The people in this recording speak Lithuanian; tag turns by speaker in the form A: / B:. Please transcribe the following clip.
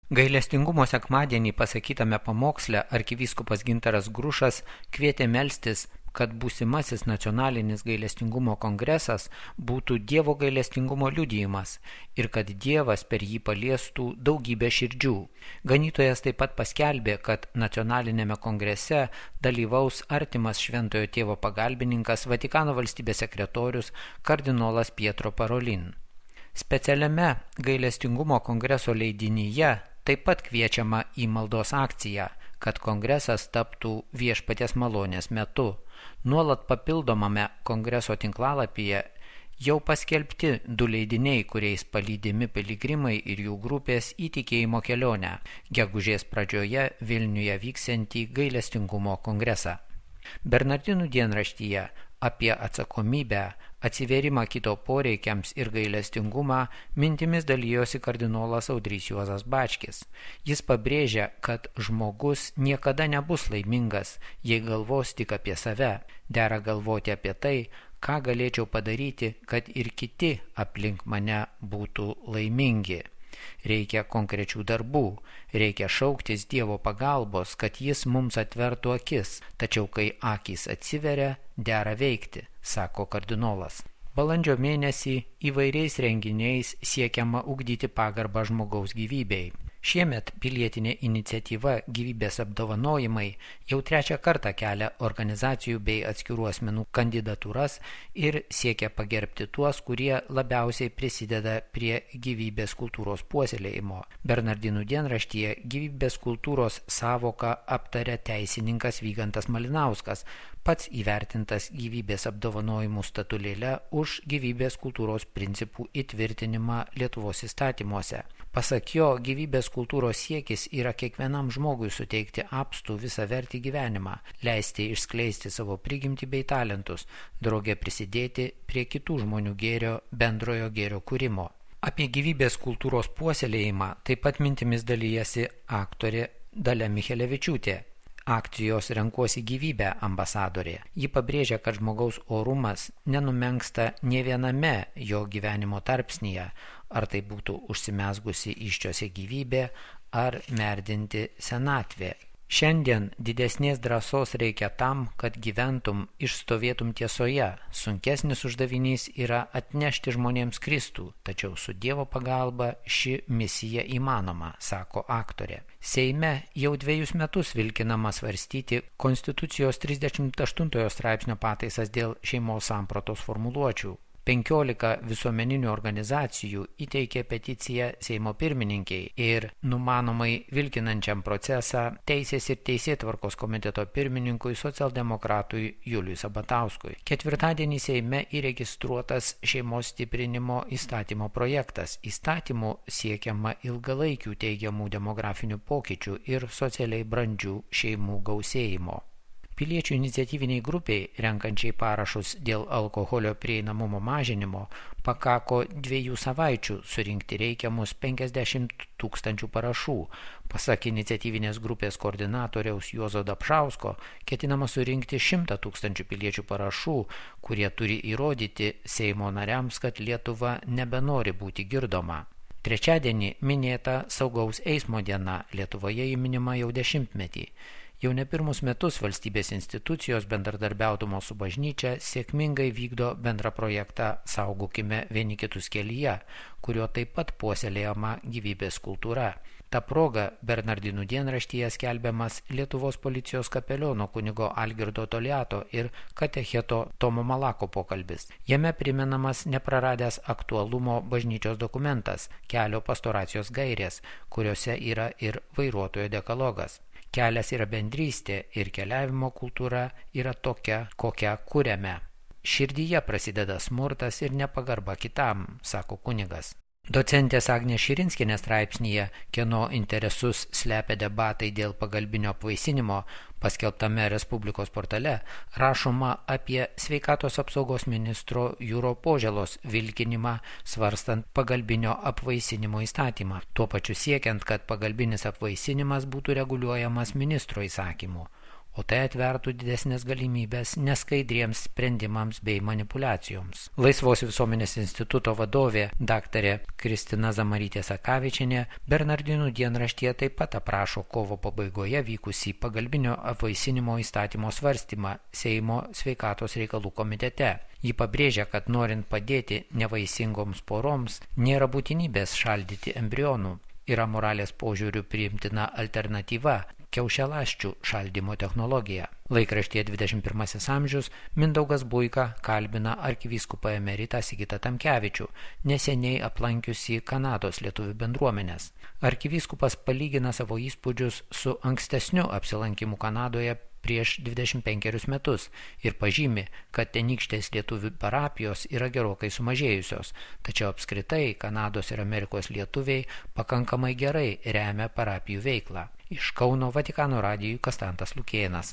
A: Gailestingumo sekmadienį pasakytame pamoksle arkivyskupas Gintaras Grušas kvietė melstis, kad būsimasis nacionalinis gailestingumo kongresas būtų Dievo gailestingumo liudijimas ir kad Dievas per jį paliestų daugybę širdžių. Ganytojas taip pat paskelbė, kad nacionalinėme kongrese dalyvaus artimas Šventojo Tėvo pagalbininkas Vatikano valstybės sekretorius kardinolas Pietro Parolin. Specialiame gailestingumo kongreso leidinyje taip pat kviečiama į maldos akciją, kad kongresas taptų viešpaties malonės metu. Nuolat papildomame kongreso tinklalapyje jau paskelbti 2 leidiniai, kuriais palydimi piligrimai ir jų grupės į tikėjimo kelionę, gegužės pradžioje Vilniuje vyksiantį gailestingumo kongresą. Bernardinų dienraštyje apie atsakomybę, atsivėrimą kito poreikiams ir gailestingumą mintimis dalijosi kardinolas Audrys Juozas Bačkis. Jis pabrėžia, kad žmogus niekada nebus laimingas, jei galvos tik apie save. Dera galvoti apie tai, ką galėčiau padaryti, kad ir kiti aplink mane būtų laimingi. Reikia konkrečių darbų, reikia šauktis Dievo pagalbos, kad Jis mums atvertų akis, tačiau kai akys atsiveria, dera veikti, sako kardinolas. Balandžio mėnesį įvairiais renginiais siekiama ugdyti pagarbą žmogaus gyvybei. Šiemet pilietinė iniciatyva Gyvybės apdovanojimai jau 3 kartą kelia organizacijų bei atskirų asmenų kandidatūras ir siekia pagerbti tuos, kurie labiausiai prisideda prie gyvybės kultūros puoselėjimo. Bernardinų dienraštyje gyvybės kultūros sąvoką aptarė teisininkas Vygantas Malinauskas, pats įvertintas gyvybės apdovanojimų statulėle už gyvybės kultūros principų įtvirtinimą Lietuvos įstatymuose. Pasak jo, gyvybės kultūros siekis yra kiekvienam žmogui suteikti apstų visavertį gyvenimą, leisti išskleisti savo prigimtį bei talentus, drauge prisidėti prie kitų žmonių gėrio, bendrojo gėrio kūrimo. Apie gyvybės kultūros puoselėjimą taip pat mintimis dalyjasi aktorė Dalia Michelevičiūtė. Akcijos Renkuosi gyvybę ambasadorė. Ji pabrėžia, kad žmogaus orumas nenumenksta nė viename jo gyvenimo tarpsnyje, ar tai būtų užsimezgusi įsčiose gyvybė ar merdinti senatvė. Šiandien didesnės drąsos reikia tam, kad gyventum, išstovėtum tiesoje. Sunkesnis uždavinys yra atnešti žmonėms Kristų, tačiau su Dievo pagalba ši misija įmanoma, sako aktorė. Seime jau 2 metus vilkinama svarstyti Konstitucijos 38 straipsnio pataisas dėl šeimos sampratos formuluočių. 15 visuomeninių organizacijų įteikė peticiją Seimo pirmininkiai ir numanomai vilkinančiam procesą Teisės ir teisėtvarkos komiteto pirmininkui socialdemokratui Juliui Sabatauskui. Ketvirtadienį Seime įregistruotas šeimos stiprinimo įstatymo projektas. Įstatymu siekiama ilgalaikių teigiamų demografinių pokyčių ir socialiai brandžių šeimų gausėjimo. Piliečių iniciatyviniai grupiai, renkančiai parašus dėl alkoholio prieinamumo mažinimo, pakako 2 savaičių surinkti reikiamus 50 000 parašų. Pasak iniciatyvinės grupės koordinatoriaus Juozo Dapšausko, ketinama surinkti 100 000 piliečių parašų, kurie turi įrodyti Seimo nariams, kad Lietuva nebenori būti girdoma. Trečiadienį minėta saugaus eismo diena, Lietuvoje ji minima jau 10-metį. Jau ne pirmus metus valstybės institucijos bendradarbiaudamos su bažnyčia sėkmingai vykdo bendrą projektą Saugokime vieni kitus kelyje, kurio taip pat puoselėjama gyvybės kultūra. Ta proga Bernardinų dienraštyje skelbiamas Lietuvos policijos kapeliono kunigo Algirdo Toliato ir katecheto Tomo Malako pokalbis. Jame primenamas nepraradęs aktualumo bažnyčios dokumentas, kelio pastoracijos gairės, kuriuose yra ir vairuotojo dekalogas. Kelias yra bendrystė ir keliavimo kultūra yra tokia, kokią kuriame. Širdyje prasideda smurtas ir nepagarba kitam, sako kunigas. Docentės Agnės Širinskienės straipsnyje, kieno interesus slepia debatai dėl pagalbinio apvaisinimo, paskelbtame Respublikos portale, rašoma apie sveikatos apsaugos ministro Jūro Požėlos vilkinimą svarstant pagalbinio apvaisinimo įstatymą, tuo pačiu siekiant, kad pagalbinis apvaisinimas būtų reguliuojamas ministro įsakymu. o tai atvertų didesnės galimybės neskaidriems sprendimams bei manipuliacijoms. Laisvos visuomenės instituto vadovė dr. Kristina Zamarytė-Sakavičienė Bernardinų dienraštyje taip pat aprašo kovo pabaigoje vykusį pagalbinio apvaisinimo įstatymo svarstymą Seimo sveikatos reikalų komitete. Ji pabrėžia, kad norint padėti nevaisingoms poroms, nėra būtinybės šaldyti embrionų. Yra moralės požiūrių priimtina alternatyva – kiaušialąsčių šaldymo technologija. Laikraštyje 21 amžius Mindaugas Buika kalbina arkivyskupą emeritą Sigitą Tamkevičių, neseniai aplankiusi Kanados lietuvių bendruomenės. Arkivyskupas palygina savo įspūdžius su ankstesniu apsilankimu Kanadoje prieš 25 metus ir pažymi, kad tenykštės lietuvių parapijos yra gerokai sumažėjusios, tačiau apskritai Kanados ir Amerikos lietuviai pakankamai gerai remia parapijų veiklą. Iš Kauno Vatikano radijui Kastantas Lukėnas.